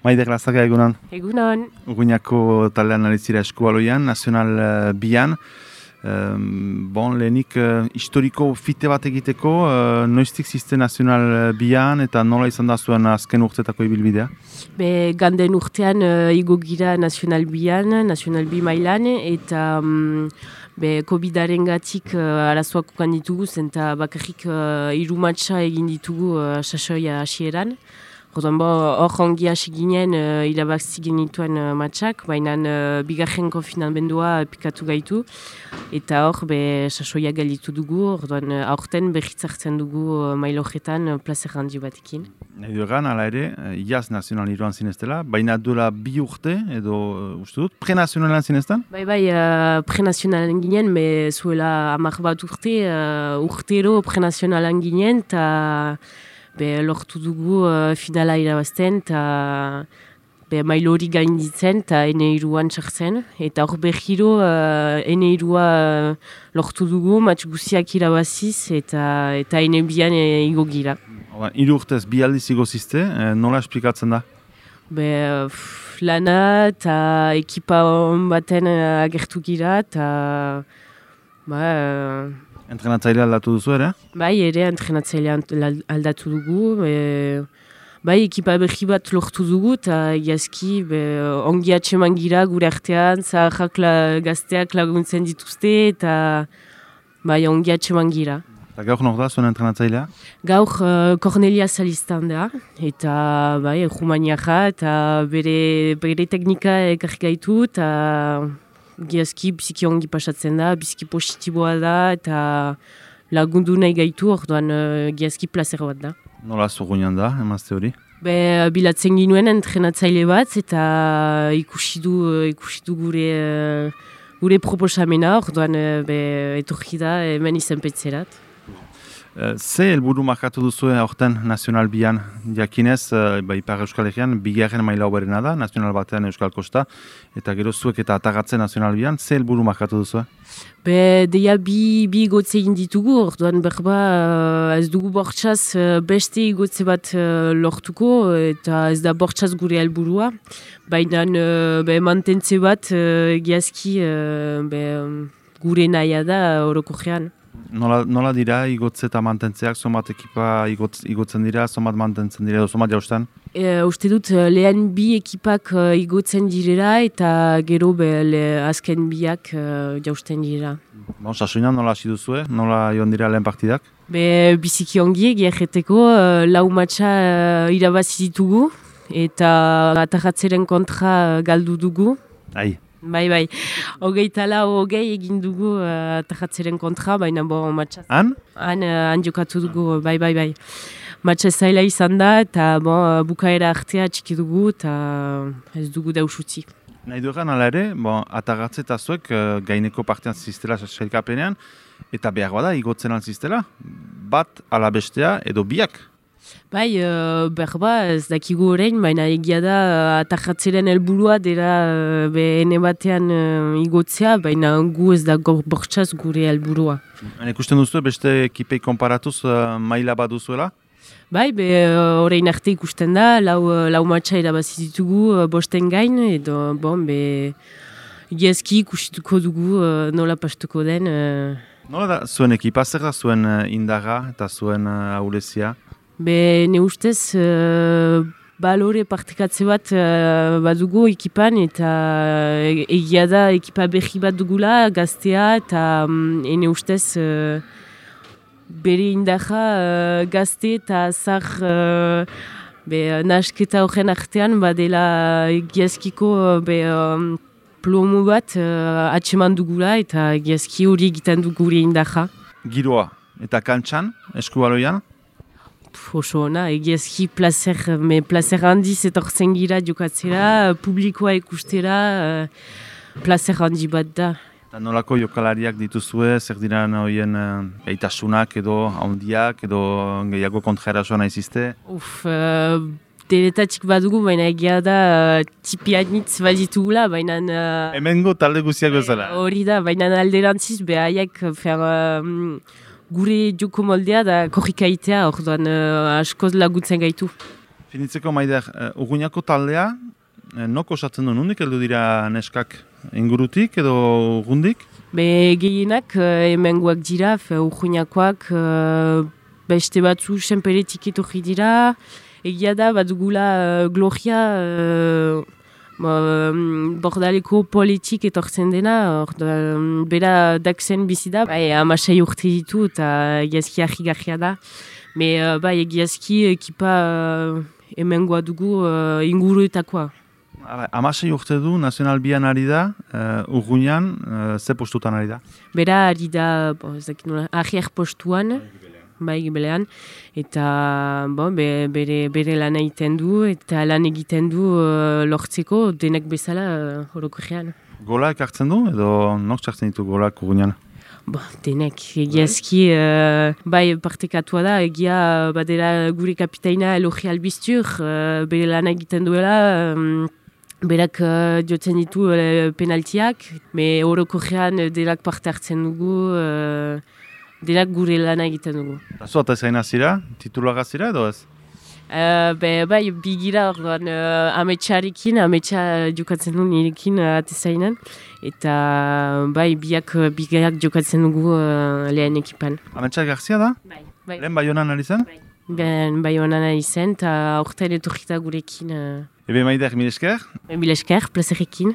Maider Lazaga egunon. Egunon. Urruñako taldean aritzira eskubaloian, Nacional Bian. Lehenik historiko fite bat egiteko, noiztik ziste Nacional Bian eta nola izan da zuen azken urtetako ibilbidea? Ganden urtean igo gira Nacional Bian, Nacional Bi mailan, eta COVID-aren gatik arazoak ukan ditugu, eta bakarrik 3 matxa egin ditugu sasoia hasieran. Hor ongi hasi ginen irabazti genituen matxak, baina bigarren konfinamendua pikatu gaitu. Eta hor sasoia galitu dugu, aurten berritzartzen dugu mailojetan plazer handi batekin. Nahi duegan, ala ere, iaz nazional iruan zineztela, baina duela 2 urte, edo uste dut, pre-nazionalan zineztan? Bai, pre-nazionalan ginen, zuela 10 bat urte, urtero pre-nazionalan ginen, eta lortu dugu finala irabazten, eta mailo hori gainditzen, eta N2an txartzen. Eta hor berriro N2a lortu dugu, matx guziak irabaziz, eta N2an igo gira. 3 urtez, 2 aldiz igo zizte, nola esplikatzen da? Lana eta ekipa hon baten agertu gira, eta Entrenatzailea aldatu duzu ere? Bai, ere entrenatzailea aldatu dugu. Ekipa berri bat lortu dugu, eta egiazki ongi atseman gira gure artean, zaharrak gazteak laguntzen dituzte, eta ongi atseman gira. Eta gaur nor da zuen entrenatzailea? Gaur Cornelia Salistan da, eta Rumaniaja, eta bere teknika ekarri gaitu, eta giazki biziki ongi pasatzen da, biziki positiboa da, eta lagundu nahi gaitu, orduan giazki placer bat da. Nola zurruñan da, emazte hori? Bilatzen ginuen entrenatzaile bat, eta ikusi du gure proposamena, orduan etorri da hemen izenpetzerat. Ze helburu markatu duzu aurten Nacional Bian? Jakinez, Ipar Euskal Herrian, 2. maila hoberena da, Nacional batean Euskal Kosta, eta gero zuek eta atagatzen Nacional Bian, ze helburu markatu duzu? Deia bi igotze egin ditugu, orduan ez dugu bortxaz beste igotze bat lortuko, eta ez da bortxaz gure helburua, baina mantentze bat giazki gure nahia da orokorrean. Nola dira igotze eta mantentzeak, somat ekipa igotzen dira, somat mantentzen dira, edo somat jaustan? Uste dut lehen 2 ekipak igotzen direla, eta gero azken 2ak jausten dira. Sasoinan nola hasi duzue? Nola joan dira lehen partidak? Biziki ongi egiarreteko 4 matxa irabazi ditugu, eta atagatzeren kontra galdu dugu. Bai. 24 egin dugu atagatzeren kontra, baina matxa. Han? Han jokatu dugu, bai. Matxa zaila izan da, eta bukaera artea txiki dugu, eta ez dugu dausutzi. Nahi duegan ala ere, atagatze eta zuek gaineko partean ziztela sailkapenean, eta behar bada igotzen alziztela, bat ala bestea edo biak. Bai, ez dakigu orain, baina egia da atagatzeren helburua dela ene batean igotzea, baina gu ez da bortxaz gure helburua. Ikusten duzu beste ekipei konparatuz maila bat duzuela? Bai, orain arte ikusten da, lau matxa irabazi ditugu bosten gain, edo egiazki ikusituko dugu nola pastuko den. Nola da zuen ekipa, zer da zuen indarra eta zuen ahulezia? Ne ustez, balore partekatze bat badugu ekipan, eta egia da ekipa berri bat dugula, gaztea, eta ne ustez bere indarra gazte eta zar nasketa horren artean badela egiazkiko plomo bat atseman dugula, eta egiazki hori egiten du gure indarra. Giroa eta kantxan, eskubaloian? Oso ona, egiazki placer handiz etortzen gira jokatzera, publikoa ikustera, placer handi bat da. Eta nolako jokalariak dituzue, zer diran horien gaitasunak edo handiak edo gehiago kontraerasoa nahi zizte? Deletatik badugu, baina egia da tipianitz baditugula, baina... Hemengo talde guziak bezala. Hori da, baina alderantziz behaiek gure joko moldea da korrikaitea, orduan askoz laguntzen gaitu. Finitzeko Maider, Urruñako taldea, nok osatzen du, nondik heldu dira neskak ingurutik edo urrundik? Gehienak hemengoak dira, Urruñakoak, beste batzu senperetik etorri dira, egia da bat dugula Gloria bordaleko politik etortzen dena, bera dakzen bizi da, 16 urte ditu eta egiazki argi-garria da. Egiazki ekipa hemengoa dugu inguruetakoa. 16 urte du, Nazional Bian ari da, Urruñan, ze postutan ari da? Bera ari da, arrier postuan, gibelean, eta bere lan egiten du, eta lan egiten du lortzeko denek bezala orokorrean. Gola ekartzen du, edo nok txartzen ditu golak Urruñan? Denek, egiazki, partekatua da, egia badera gure kapitaina Elogi Albiztur, bere lan egiten duela, berak jotzen ditu penaltiak, orokorrean denak parte hartzen dugu, denak gure lana egiten dugu. Zu eta zaina zira, titulaga zira edo ez? Bigira orduan ametsa jokatzen du nirekin atezainan, eta biak jokatzen dugu lehen ekipan. Ametsa Garzia da? Bai. Lehen Baionan ari zen? Baionan ari zen, eta orten etorrita gurekin. Ebe Maider, mil esker? Mil esker, plazerekin.